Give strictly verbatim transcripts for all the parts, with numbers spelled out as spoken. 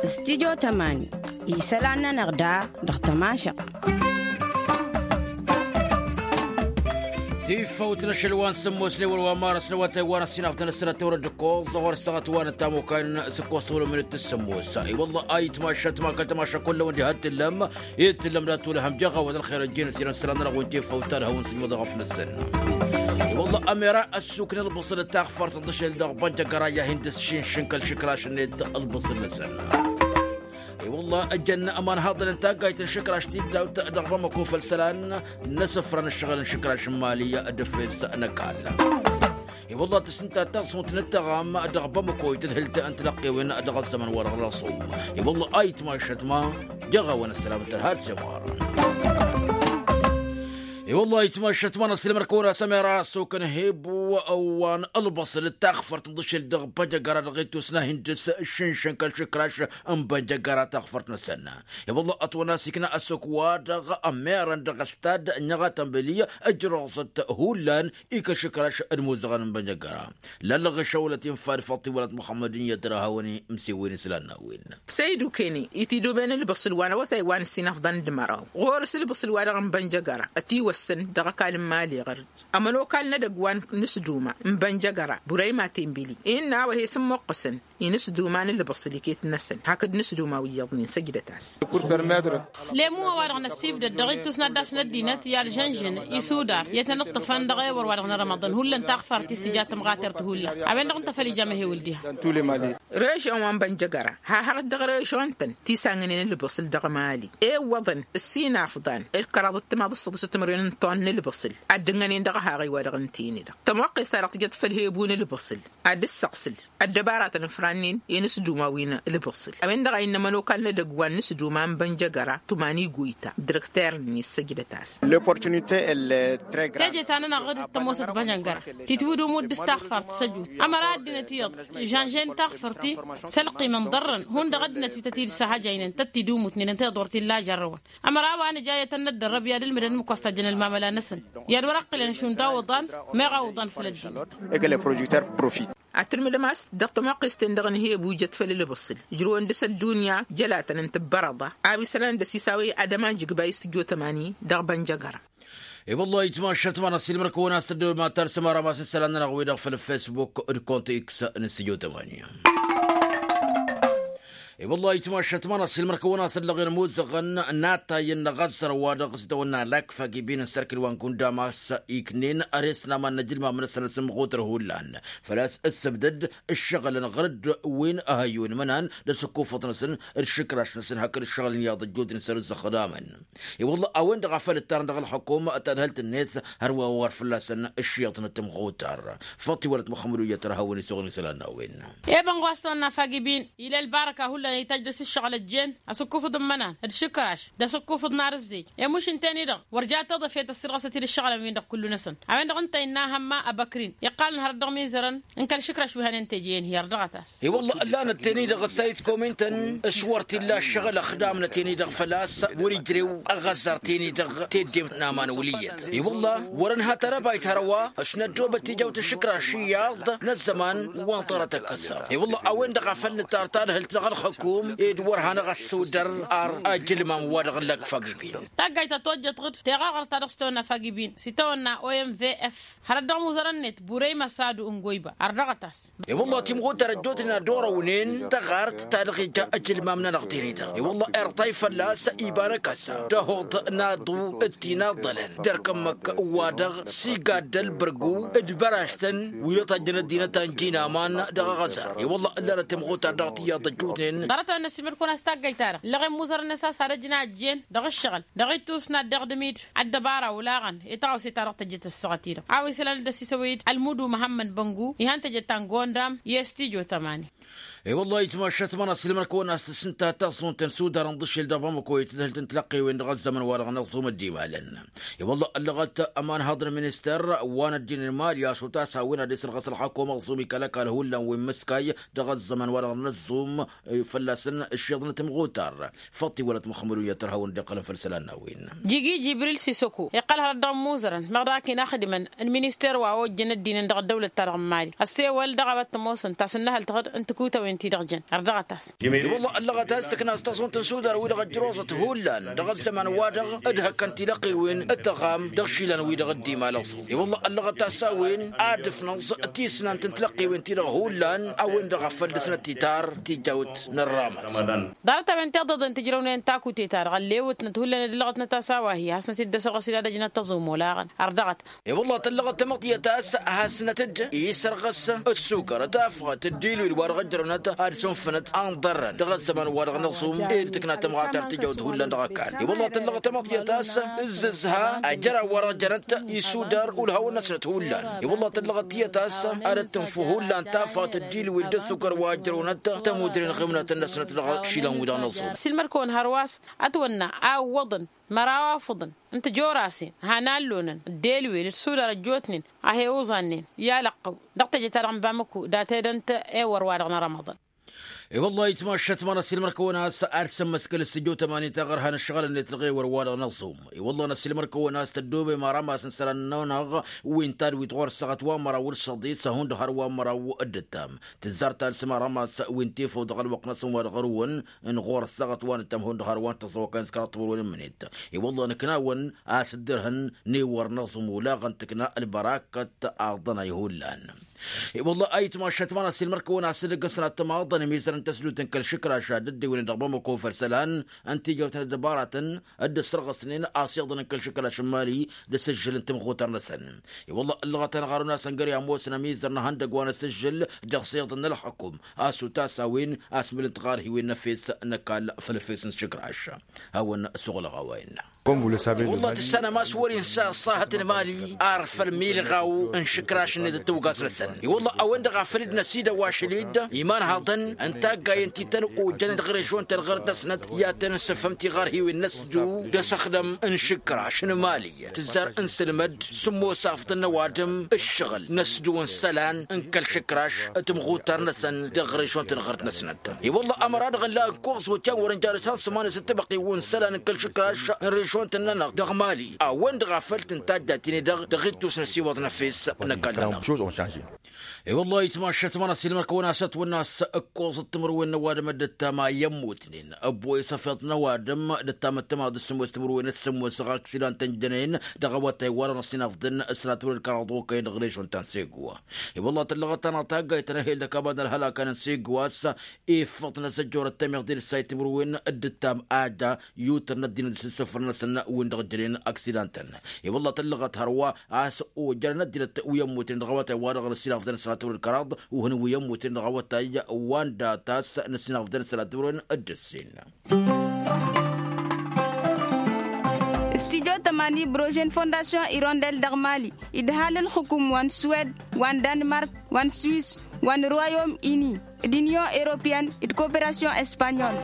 Stidyo tămani isălan-nănăɣ da dăɣ-tămašăɣt. Tifăwt n-ašăl wa n-sǝmmos n-ewăr wa n-marăs n-awătay wa n-ăssinaf d-anăsănăt tewăr-dd-ǝkkoẓ ɣur-săɣăt wa n-ăttamukay n-sǝkkos tăwălăw minit d-sǝmmos. I-wălla a itmašăt ma kăl-tămašăt kull-awăn diha t-tǝllăm i-tǝllăm dat-tulăhăm jeɣ-awăd ălxer ăjjeen s-irăn sălan-nănăɣ wi n-tifăwt ta d-hawăn-sǝjmăḍ ɣăf-năsăn. I-wălla ămera ăssukn ălbăṣăl d-taxfart n-aḍǝšel dăɣ-bănjăgăra i-ad-hin-dăɣ-sǝššǝnšǝn kăl-išǝkraš-net ălbăṣăl-năsăn. I-wălla ăjjăn ămanhaḍăn n-taggayt n-išǝkraš-t-dd dawt dăɣ-bamăko făll-isălan n-asǝfra n-ǝššăɣǝl n-išǝkraš n-imali d-efes n-ăkall. I-wălla tǝsnǝnta taẓunt n-ăttăɣam dăɣ-bamăko i-tadhǝlt n-tilăqqewen dăɣ-ăzzăman wa-dăɣ n-ăṣṣum. I-wălla a itmašăt ma jăɣ-awăn ăssălam n-tărha d-semar. I-wălla a itmašăt ma n-ăssilmăr-kăwăn-asăm era ăssok n-hebu wa n-ălbăṣăl d-taxfărt n-iḍǝšel dăɣ-bănjăgăra dăɣ-ittus n-ad-hin-dăɣ-sǝššǝnšǝn kăl-išǝkraš n-bănjăgăra taxfărt-năsăn. I-wălla ătwănna s-ikna ăssok-wa-dăɣ ămmerăn dăɣ-ăstad n-iɣatăn beli ǝjrăẓăt hullan i-kăl-išǝkraš d-imuzăɣăn n-bănjăgăra. Lallăɣ išăwălăt infa d-făṭṭi wălăt muxămmăd n-iyyăt dăr-ehawăn imsewwen islan n-a-wen. Săydu kene itiduben ǝlbǝṣǝl wa n-awătay wa n-ǝssin afḍăn d-măraw ɣur-s ǝlbǝṣǝl wa dăɣ-n bănjăgăra ătiwăssăn dăɣ-ăkall n-imali ɣăr-dd ămănokal n-edăgg wa n-ǝsduma n-bănjăgăra burăyma tenbili innă a-wa he-s ǝmmuqqǝsăn i-inǝsduma n-ǝlbǝṣǝl iket-năsăn hakd inǝsduma wi iyyăḍnen săjdăt-as. Lemu a-wa-dăɣ năssibdăd dăɣ-ittus n-ad-dd-asnăt ăddinăt i-alžănžăn isudar i-tăn-ǝṭṭǝfăn dăɣ-ewăr wa-dăɣ n-rămăḍăn hullan taɣfart-i s-tǝja tămɣatert hullan. A-wen-dăɣ ǝnta făl ija amăhew ǝldiha. Režon wa n-bănjăgăra ha hărăt dăɣ-režon-tăn tisangnen ǝlbǝṣǝl dăɣ-mali iwwăḍăn ǝssin afḍan ǝlkăraḍ d-timaḍ d-săḍǝs timǝrwen n-ton n-ǝlbǝṣǝl ad-dd-ǝnnănen dăɣ-ahaɣăy wa-dăɣ ǝnta-en-dăɣ tămoqqes-ta-dăɣ tǝjăt făll-hebu n-ǝlbǝṣǝl ad-dd-săɣsǝl ăddăbaratăn ǝfrannen i-inǝsduma wi n-ǝlbǝṣǝl a-wen-dăɣ a innă ămănokal n-edăgg wa n-inǝsduma n-bănjăgăra tumani guyta d-direkter-net săjdăt-as. Teje ta-nănăɣ d-tămoosăt bănjăgăra titwǝdumut d-s taɣfart s-ăjut ămăra ăddinăt iyyăḍ žănžen taɣfărt-i s-ălqim ǝnḍărrăn hundăɣ ăddinăt wi tăt-dd-săhăjăynen tăt-tidumutnen ǝnta iḍ wăr t-illa a jărrăwăn. Ămăra a-wa nǝja i-ad-tăn-năddărrăb i-ad-ǝlmǝdăn ǝmmǝk wa s-tajjăn ălmamăla-năsăn i-ad-wăr-ăqqǝlăn šund awǝḍan meɣ awǝḍan făll-ăddinăt. Ad-tǝlmǝdăm a-s dăɣ-tămoqqes-ten-dăɣ n-hebu ijăt făll-ǝlbǝṣǝl ǝjrǝwăn dăɣ-s ăddunya jălatăn n-tǝbbărăḍa a-wa isălan dăɣ-s isawăy ad-ămanjǝgba i-s tǝjjo tămani dăɣ-bănjăgăra. I-wăllah itmašăt ma n-asilmăr-kăwăn-as tăddăwăm ad-talsăm ara ma s-n-isălan-nănăɣ-wi-dăɣ făll-facebook d-kont x n-s tǝjjo tămani. I-wăllah itmašăt ma n-asilmăr-kăwăn-as ăllăɣen imuzăɣăn n-atay n-aɣăzzăr wa dăɣ-s itawănna lakfag ibin n-sărkǝl wa n-gundam a-s iknen ărees n-aman n-ajǝlmam n-asăn asǝmɣutăr hullan făl-a-s ǝssǝbdăd ǝššăɣǝlăn ɣăr-dd wi n-ehăyyu n-imănan d-asǝkkufăḍ-năsăn d-išǝkraš-năsăn hakd ǝššăɣǝlăn iyyăḍ ăjjootnen săr-ǝzzăxdamăn. I-wălla a-wen-dăɣ a făl ǝttarăn dăɣ-ălxukum tadhǝlt-net hărwa wăr fălla-săn ǝššiḍ n-ăttămɣutar. Făṭṭ-i wălăt muxămmăd u-iyyăt ărhawăn-i suɣǝl n-isălan n-a-wen. Eba n-ɣas tawănna fagibin ila ălbarăka hullan ităjj dăr-s ǝššăɣǝl ăjjeen asǝkkufǝḍ n-imănan d-išǝkraš d-asǝkkufǝḍ n-arǝzzej. Emuš ǝnta-en-i-dăɣ wăr ja taḍăfet ăssirɣăsăt-dd ǝššăɣǝlăn-win-dăɣ kullu-năsăn. A-wen-dăɣ ǝnta innă ahămma ăbăkrin iqqalăn hărăt dăɣ-imizărăn n-kăl-išǝkraš wi hănen teje-en hi-ărdăɣăt-as. I-wălla ăllanăt-ten-i-dăɣ ăssayǝd komintăn s-wăr t-illa ǝššăɣǝl ăxdamnăt-en-i-dăɣ făl-a-s wăr-ijrew aɣăzzar-ten-i-dăɣ teddem n-aman wăl' iyyăt. I-wălla wăr-ănha tarabayt hărwa s-năddoobăt tijawt išǝkraš iyyăḍ n-ăzzăman wa n-tărăt ăkkăsăr. I-wălla a-wen-dăɣ a făl nǝttar tadhǝlt dăɣ-ălxǝkum ed wăr hanăɣ-ăssudăr ar ajǝlmam wa dăɣ-n lăkfag ibin. Taggayt ta tojjăt ɣǝd teɣăɣăr ta dăɣ-s tawănna fagibin s-itawănna omvf hărăt dăɣ-imuzărăn-net burey măsadu n-goyba ărdăɣăt-as. I-wălla timɣutar ăjjootnen ad-orăwnen tăɣart ta dăɣ-ija ajǝlmam-nănăɣ-ten-i-dăɣ i-wălla irṭay fălla-s iba n-akăsa d-ahoḍ n-aḍu d-tinaḍălăn d-erk ǝmmǝk wa-dăɣ s-igadd ălbărgu d-băraštăn wi dăɣ-tajjăn ăddinăt ta n-jinaman dăɣ-aɣăzar. I-wălla ǝllanăt timɣutar dăɣ-tiyyăḍ ăjjootnen. Ḍarăt-a-wen n-ăsimǝrkun a-s taggăyt-ta-dăɣ ǝllăɣen muzărăn-năsăn a-s ad-ăjnajjen dăɣ-ǝššăɣǝl dăɣ-ittus n-ad-dăɣ-dămid ăddăbara olaɣăn i-taɣawse-ta-dăɣ tăjjăt ăssaɣăt-i-dăɣ a-wa isălan ad-ăsisăwăy-dd ălmudu măhămmăd băngu ihăn tăjjăt ta n-gondam i-s tijo tămani. I-wăllah itmašat ma n-asǝlmăr-kăwăn-as tǝsnǝnta taẓẓunt n-sudar n-iḍǝšel dăɣ-bamăko i-tadhǝlt n-tilăqqewen dăɣ-ăzzămăn-wa-dăɣ n-aẓum ăddimalăn. I-wăllah ăllăɣăt ămanhaḍ n-ministăr wa n-ăddin n-imali a-s otas a-wen ad-isǝlɣăs ălxakum aẓum ikăl-ăkall hullan wi n-imǝskay dăɣ-ăzzămăn-wa-dăɣ n-aẓum. fălla-săn ǝššiḍnăt imɣutar. Făṭṭi wăla timăxmădun i-ad-tărhawăn dd-iqqălăn făll-isălan n-a-wen. Jigi jibril sisăku iqqăl hărăt dăɣ-imuzărăn meɣ daɣ-k-in-axdǝmăn n-minister wa ojjăn ăddinăn dăɣ-ăddăwlăt-ta-dăɣ n-mali ăssewăl dăɣ-a-wa t-ămoosăn tasǝnnăhălt dăɣ-dd-ǝntǝkutăwen-ti-dăɣ jăn ărdăɣăt-as. I-wălla ăllăɣăt a-s tǝkna a-s taẓunt n-sudar wi-dăɣ ăjjăroẓăt hullan dăɣ-ăzzăman-wa-dăɣ d-hăkkăn tilăqqiwen d-tăɣam dăɣ-išilan wi-dăɣ dd-imalăẓ. I-wălla ăllăɣăt a-s a-wen ad-ǝfnăẓ tisnant n-tilăqqiwen-ti-dăɣ hullan a-wen-dăɣ a făl dăr-snăt titar tijawt n-ărramat. Ḍarăt-a-wen tiḍăḍen tǝjrăwnen takute-ta-dăɣ ăllewătnăt hullan ed ǝllăɣătnăt a-s a-wa hi-hasnăt-dd-ăsrăɣăs ila dăjnăt tăẓumolaɣăn ărdăɣăt. I-wălla tăllăɣăt tamăḍyăt a-s hasnăt-dd isărɣăs d-sukăr tafɣăt d-ilwil wa dăɣ-ăjrăwnăt ad-sǝnfǝnăt anḍărrăn dăɣ-ăzzăman wa dăɣ-năẓum ed tǝkna tămɣatart tijawt hullan dăɣ-ăkall. I-wălla tăllăɣăt tamăḍyăt a-s ǝzzǝzha ajăraw wa dăɣ-jănăt isudar ulhawăn-năsnăt hullan. I-wălla tăllăɣăt tiyyăt a-s ad-ăttǝnfu hullan tafɣăt d-ilwil d-ăssukăr wa ăjrăwnăt tămudre n-iɣimnatăn-năsnăt dăɣ-išilan wi-dăɣ năẓum. Silmăr-kăwăn hărwa a-s ătwănna a ǝwwăḍăn măraw afǝḍăn n-tijorasen han allonăn d-elwel d-sudar ăjjootnen a he-uẓannen i-alăqqăw dăɣ-teje-ta-dăɣ n-bamăku dat-edănt ewăr-wa-dăɣ n-arămăḍăn. I-wăllah itmašat măra s-ilmăr-kăwăn a-s ad-sămmăskăl s-tijot ămani taɣărha n-ăššăɣǝl-net dăɣ-ewăr-wa-dăɣ n-aẓum. I-wăllah n-ăsilmăr-kăwăn a-s tăddoobem arămas n-isălan-nănăɣ wi n-tadwit ɣur-ăssaɣăt wa n-măraw d-săḍis ahund har wa n-măraw d-ǝttam. Tǝzzar talǝsăm arămas wi n-tifăw dăɣ-ălwăqq-năsăn wa dăɣ-ărwăn n-ɣur-ăssaɣăt wa n-ǝttam ahund har wa n-tăẓẓăwăkăn s-kăraḍ timǝrwen n-imǝnet. I-wăllah nǝknawăn a-s dd-ărhăn n-ewăr n-aẓum ulaɣăn tǝkna ălbărakăt aḍăn a ihullan. I-wăllah a itmašat măra s-ilmăr-kăwăn a-s dd-ăggăsăn ad-tămaḍăn imizărăn tăsdut n-kăl-išǝkraš ad-dd-ewǝnen dăɣ-bamăko făll-isălan n-tijawt n-ăddăbaratăn dd-ăssărɣăsnen asiḍăn n-kăl-išǝkraš n-mali d-asǝžžǝl n-timɣutăr-năsăn. I-wăllah ăllăɣăt-anăɣ arun a-s ăngăr i-ămoosăn amizăr n-ehăndăg wa n-asǝžžǝl dăɣ-siḍăn n-ălxukum a-s utas a-wen asmǝl n-tiɣarhiwen n-efes n-ăkall făll-efes n-išǝkraš. Hawăn-suɣǝlăɣ a-wa innă. I-wăllah tǝssanăm a-s wăr-insa ăṣṣahăt n-mali ar făll-milɣaw n-išǝkraš-net d-tawgast-năsăn. I-wăllah a-wen-dăɣ a făl dd-năsidăw ašăl-dd imanhaḍăn n-taggayen ti tăn-ojjăn dăɣ-režon-tăn ɣărăt-năsnăt i-ad-tăn-nǝssǝfhăm tiɣarhiwen n-ăsdu d-asăxdăm n-išǝkraš n-mali. Tǝzzar ǝnsǝlmăd s-ămoos afḍăn n-ăwadǝm ǝššăɣǝl n-ăsdu n-isălan n-kăl-išǝkraš timɣutar-năsăn dăɣ-režon-tăn ɣărăt-năsnăt. I-wăllah ămăra-dăɣ ǝlla ǝkkoẓ wătyan wăren jarǝs han sămani s-ăttăbăqqiw n-isălan n-kăl-išǝkraš n-režon-tăn-nănăɣ dăɣ-mali a-wen-dăɣ a făl tǝntajj ad-t-inǝdăɣ dăɣ-ittus n-ăsiwăḍ n-efes n-ăkall-nănăɣ. I-wăllah itmašat măra s-ilmăr-kăwăn a-s ătwănna a-s ǝkkoẓăt timǝrwen n-ăwadǝm dd-ǝttam a i-ămmutnen ăbboy s-efeḍ n-ăwadǝm dd-ǝttam ăttămaḍ d-sǝmmos timǝrwen d-sǝmmos ɣaksǝlan tăn-jănen dăɣ-awătay wa-dăɣ n-ăsinafḍăn s-ălatwăr d-kăraḍ okăyăn dăɣ-režon ta n-segwa. I-wăllah tăllăɣăt-anăɣ taggayt tăn-ehel d-ăkabad n-ălhălak a n-segwa a-s ifăḍ n-asăjjorăt tămiḍe d-ǝssay timǝrwen dd-ǝttam ad-da yutăr n-ăddinăt s-isǝfăr-năsăn wi n-dăɣ-jănen ăksidantăn. I-wăllah tăllăɣăt hărwa a-s ojărăn ăddinăt wi ămmuten dăɣ-awătay wa-dăɣ n-ăsinafḍăn s-ălatwăr d-kăraḍ uhǝn wi ămmuten dăɣ-awătay wa n-datas n-ăsinafḍăn s-ălatwăr d-ǝssin. Studio tămani brožen fondasyon irondel dăɣ-mali idhal ǝlxǝkum wa n-suwed wa n-danmark wa n-swis wa n-royom ini d-inyon europeyăn d-koperasyon espanyol.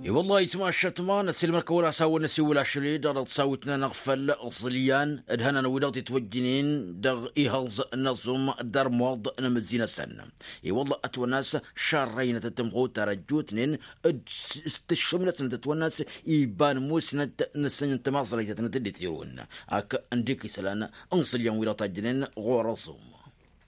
I-wăllah itmašat ma n-ăsilmăr-kăwăn a-s hawăn-năsiwǝl ašăl-i dăɣ-dăɣ tăsawit-nănăɣ făll-iẓǝlyan d-hănan wi-dăɣ titwăjjǝnen dăɣ-ihăẓ n-aẓum d-armuḍ n-amǝzzi-năsăn. I-wăllah ătwănna a-s šarrăynăt d-timɣutar ăjjootnen d-s-tǝššǝm-năsnăt ătwănna a-s iba n-musnăt n-asǝnj n-timaẓrăytăt n-tǝddit irun ak n-dik isălan n-iẓǝlyan wi-dăɣ tajjǝnen ɣur-aẓum.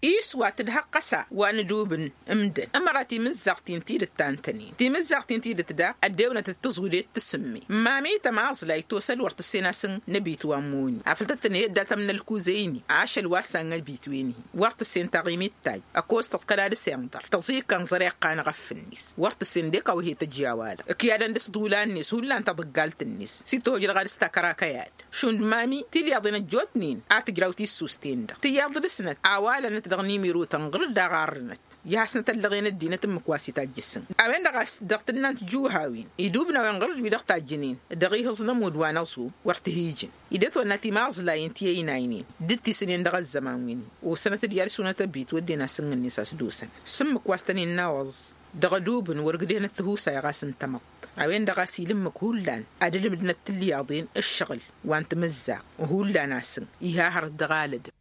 Iswat d-hăqqăsa wa n-ǝdubǝn ǝmdăn ămăra timǝzzaɣt-in tidǝt ta n-tăn-in timǝzzaɣt-in tidǝt daɣ ăddewnăt d-tǝẓwǝdet tǝsǝmme. Mami tămaẓlayt tosăl wăr tǝssen asǝn n-ebit wa n-imoni afăl tăt-tăn-hi-ăddatăm n-ălkuzăyni ašăl wa s-ann ebit wen-hi wăr tǝssen taɣimit tajj ăkostăɣ kăla dăr-s inḍăr tăẓikăn ẓăr iqqanăɣ ăffǝnnis wăr tǝssen d-ekawhet ăjjawa-dăɣ ǝkyadăn dăr-s ḍulan-net hullan taḍǝggalt-net s-itojrăɣ ad-s takărakăyad šund mami tilyaḍen ăjjootnen a tǝjraw tissusten-dăɣ tiyaḍ dăr-snăt a-wa lănăt dăɣ-nimirotăn ɣǝr-dd aɣarrǝnăt i-hasnăt ăllăɣen ăddinăt ǝmmǝk wa s-itajj asǝn a-wen-dăɣ a-s dăɣ-tǝnnant juhawen idubnawen ɣǝr-dd wi-dăɣ tajjǝnen dăɣ-ihǝẓ n-ămudd wa n-aẓum wăr t-hi-ijǝn. Idet wănna timazlayǝn ti ăynaynen dd-tisǝnen dăɣ-ăzzăman wi-ni osănăt d-iyyăr sunăt ăbit wădden asǝnnǝn-net a-s dosăn s-ǝmmǝk wa s-tăn-innawăẓ dăɣ-ădubǝn wăr ǝgdehăn ăttǝhusay ɣas n-tamăḍt a-wen-dăɣ a-s ila ǝmmǝk hullan ad-ǝlmǝdnăt tilyaḍen ǝššăɣǝl wa n-timǝzzaɣ hullan asǝn iha hărăt dăɣ-alădăm.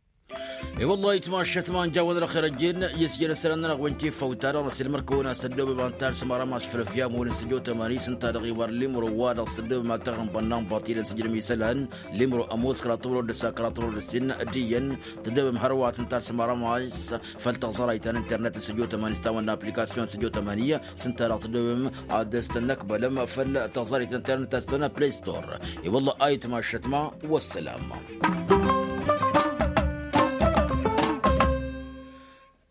I-wălla ayǝtmašat ma n-jawăn ălxer ăjjeen i-s jere sălan n-ălɣwen tifăwta-dăɣ n-asǝlmăr kăwăn-asăddobem antar s-măra mašfălăf i-amăwăn s-ăjotămani s-ǝnta-dăɣ iwar limro wa-dăɣ s-ăddobem a taɣǝnbănna n-batilăn s-ǝjrăm isălan limro ămoos kăraḍ timro d-ǝssa kăraḍ timro d-ǝssin d-iyyăn tăddobem hărwa tǝnta s-măra maš făll-taẓărayt ta n-internet n-săjotămani s-tawănna aplikasyon săjotămani s-ǝnta-dăɣ tăddobem ad-s-tăn-năkbălăm făll-taẓărayt n-internet ta s-tawănna play store. I-wălla ayǝtmašat ma. Wăssălam.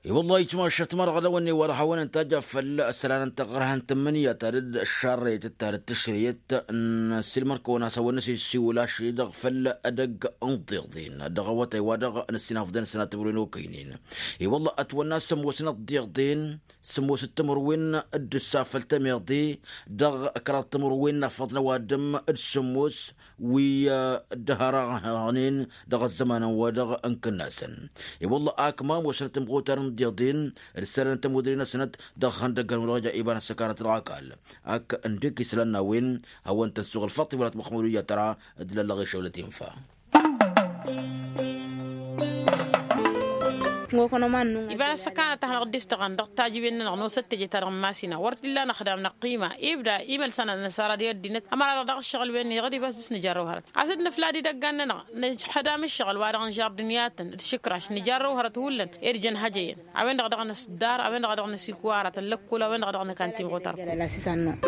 I-wălla ayǝtmašat ma dăɣ-dăwănne wa dăɣ-hawăn-ăntajja făll-ăssălanăn taɣărhăn tǝmmǝnǝya ta dd-ăššarrăyăt d-ta dd-tǝšrǝyăt n-asǝlmăr-kăwăn a-s hawăn-năsissiwǝl ašăl-i-dăɣ făll-edăgg n-tiḍen dăɣ-awătay wa dăɣ-năssinafḍăn sănatăbruwen okăynen. I-wălla ătwănna sămoosăn d-tiḍen sămoos d-timǝrwen d-ǝssa făll-tămiḍe dăɣ-kăraḍ timǝrwen n-afăḍ n-ăwadǝm d-sămoos wi dd-hărăɣnen dăɣ-ăzzămanăn-wa-dăɣ n-kǝnnasăn. I-wălla ak ma ămoosnăt imɣutar n-tiḍen d-isălan n-tămudre-năsnăt dăɣ-ihăndăggăn-wi-dăɣ ja iba n-ăssăkanăt dăɣ-ăkall ak ǝndek isălan n-a-wen hawăn-tăn-suɣǝl faḍt iwălat măxmăd wi ja tăra d-lăllăɣ išăwlăt infa. Iba n-ăssăkanăt a hanăɣ-dd-istăɣăn dăɣ-tajǝwen-nănăɣ nosăt teje ta dăɣ-n masina wăr t-illa năxdam năqqima ibda imălsan ad-năsara d-i ăddinăt ămăra-dăɣ daɣ ǝššăɣǝl-wen-i dăɣ-dd-ibas dăɣ-s nǝjarrăw hărăt. Ad-săd-nǝfla d-idăggan-nănăɣ nǝxdam ǝššăɣǝl wa dăɣ-n žardǝniyatăn d-išǝkraš nǝjarrăw hărăt hullan ed jăn hăjăyăn a-wen-dăɣ a dăɣ-năsdar a-wen-dăɣ a dăɣ-năsikwarăt ăllăkkol a-wen-dăɣ a dăɣ-năkan timɣutar.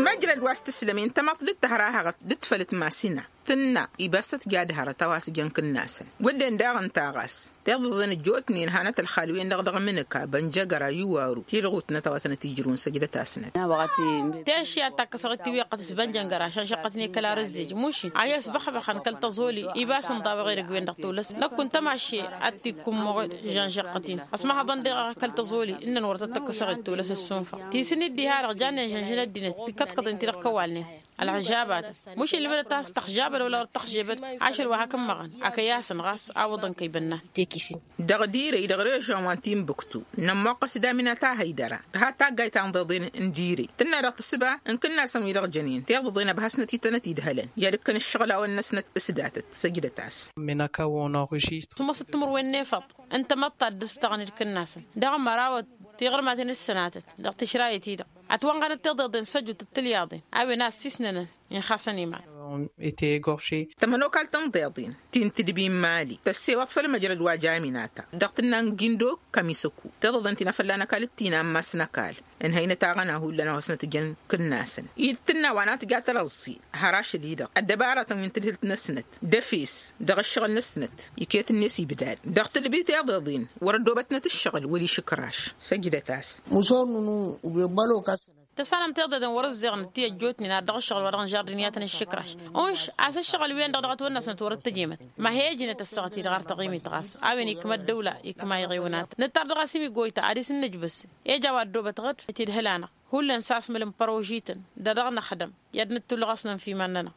Măjrăd wa s-tǝslăm intămaḍt dd-tăhra haɣăt dd-tfălăt masina tǝnna ibas tăt-ja d-hărăt a-wa s-jăn kǝnnasăn wădden daɣ ǝnta ɣas tiḍăḍen ăjjootnen hanăt ălxal-wen-dăɣ dăɣ-mǝnǝka bănjăgăra iwaru ti-dăɣ utnăt a-wa tănăt-ijrǝwăn săjdăt-asnăt. Teši ad-takkăsăɣ ittiweqqăt s-bănjăngăra šănšăqqătne kăla rǝzzej mušin a hi-ăsbăxbăxăn kăl-tăẓoli ibas ǝnḍaweɣ edăgg-wen-dăɣ tolăs năkk kunta maše ad-t-ikkummăɣ žănšăqqăt-in ăsmăhăḍăn deɣ kăl-tăẓoli ǝnnăn wăr tăt-tăkkăsăɣ d-tolăs ăssunfăɣ ti sǝnni dd-iha-dăɣ jannen žănžăn ăddinăt tikkăḍkăḍen-ti-dăɣ kăwalnen ălɣăžabat mušin lǝbdăt a-s tăxžabăd wăla wăr tăxžebăd ašăl wa hakd n-măɣăn akăy-asăn ɣas awǝḍăn kăy-bănnan. Dăɣ-direy dăɣ-režăn wa n-timbuktu nămmoqqăs damina ta hăydăra tǝha taggayt ta n-iḍeḍen n-direy tǝnna dăɣ-tǝssǝba n-kǝnnasăn wi-dăɣ jănen tiḍăḍen ăbhăsnăt i-tănăt-idhălăn i-ad-ǝkkăn ǝššăɣǝl-awăn-năsnăt s-datăt săjdăt-as. Mănăka wănăɣ ǝžist. Sămoosăt timǝrwen n-efăḍ n-tamăḍt ta dd-ǝstăɣăn d-kǝnnasăn dăɣ-mărawăt tiɣărmaten d-sănatăt dăɣ-tǝšrayăt-i-dăɣ ătwănɣănăt tiḍeḍen s-ăjut d-tǝlyaḍen a-wen a ăssiisnănăn inxasăn iman. Tămănokalt n-tiḍeḍen ti n-tǝdbi n-imali tăssewăḍ făll-măjrăd wa jaminata dăɣ-tǝnna n-gindo kămisăku tiḍeḍen ti n-afălla n-ăkall d-ti n-ammas n-ăkall ǝnhăynăt aɣăna hullan a-wa s-năt-ǝjăn kǝnnasăn-i d-tǝnna wa n-ad-tǝja tărăẓẓi har ašăl-i-dăɣ ăddăbaratăn wi n-tǝdhǝlt-năsnăt d-efes dăɣ-ǝššăɣǝl-năsnăt iket-net ibdad dăɣ-tǝdbi tiḍeḍen wăr-ăddoobătnăt ǝššăɣǝl wăr-išǝkraš. Săjdăt-as. Tăssanăm tiḍeḍen wăr-ǝzzeɣnăt ti ăjjootnen ad-dăɣ-ǝššăɣǝl wa dăɣ-nǝžardǝniyatăn ǝššǝkraš unš a-s ǝššăɣǝl-wen-dăɣ dăɣ-ătwănna-snăt wăr-dd-tăjemăt. Ma he-ăjnăt ăssaɣăt-i-dăɣ ar tăɣimit ɣas a-wen ikmă ăddăwla ikmă iɣewnat nǝttar dăɣ-a-s imiggoyta ad-isǝnnǝjbǝs eja wa ăddoobăt ɣǝd itidhǝl-anăɣ hullan s-asmǝl n-părožităn d-ad-dăɣ-năxdăm i-ad-nǝttǝlluɣ a-s nănf' iman-nănăɣ.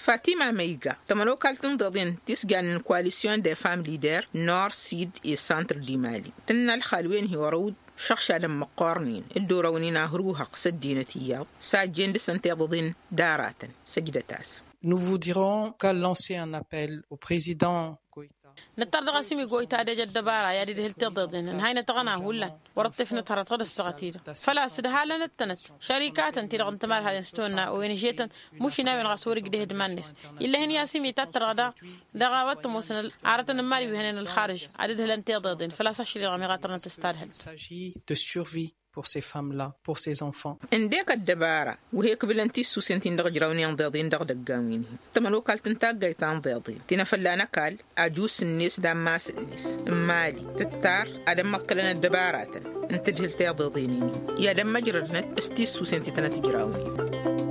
Fatima măyga tămănokalt n-iḍeḍen ti s-jannen koalisyon de fam lider nor sid i-santr d-imali tǝnna ălxal-wen hi-orăwd šăɣšadăn măqqoornen dd-orăwnen ahăruhăɣ s-ăddinăt iyyăḍ s-a ăjjeen dăɣ-săn tiḍăḍen d-aratăn. Săjdăt-as. Nous voudrions lancer un appel au président goita. Nǝttar dăɣ-a-s imigoyta ad-ej ăddăbara i-ad-idhǝl tiḍeḍen ǝnhaynăt aɣăna hullan wăr-ăṭṭifnăt hărăt ɣǝd-ăssaɣăt-i-dăɣ făl-a-s ǝdhalăn d-tănăt šărikatăn-ti-dăɣ n-timalhalăn s-tihănna owen žetăn mušin a-wen ɣas wăr-igdehǝd iman-net. Ill'-ehăn i-a-s imitat-tăr-dăɣ daɣ a-wa t-ămoosăn arătăn n-imali wi hănen ălxarǝž ad-ǝdhǝlăn tiḍeḍen făl-a-s ašăl-i-dăɣ ămiɣatărnăt s-tadhǝlt. S'agit de survie pour ses femmes-là pour ses enfants. Ǝndek ăddăbara wăr he-ǝkbǝlăn tissusen-tin-dăɣ ǝjrawnen iḍeḍen dăɣ-idăggan wi n-hi tămănokalt n-taggayt ta n-iḍeḍen ti n-afălla n-ăkall ajus-net d-ammas-net n-imali tǝttar ad-ămmăḍkălăn ăddăbaratăn n-tǝdhǝlt iḍeḍen-in-hi i-ad-ămmăjrădnăt s-tissusen ti tănăt ǝjrawnen.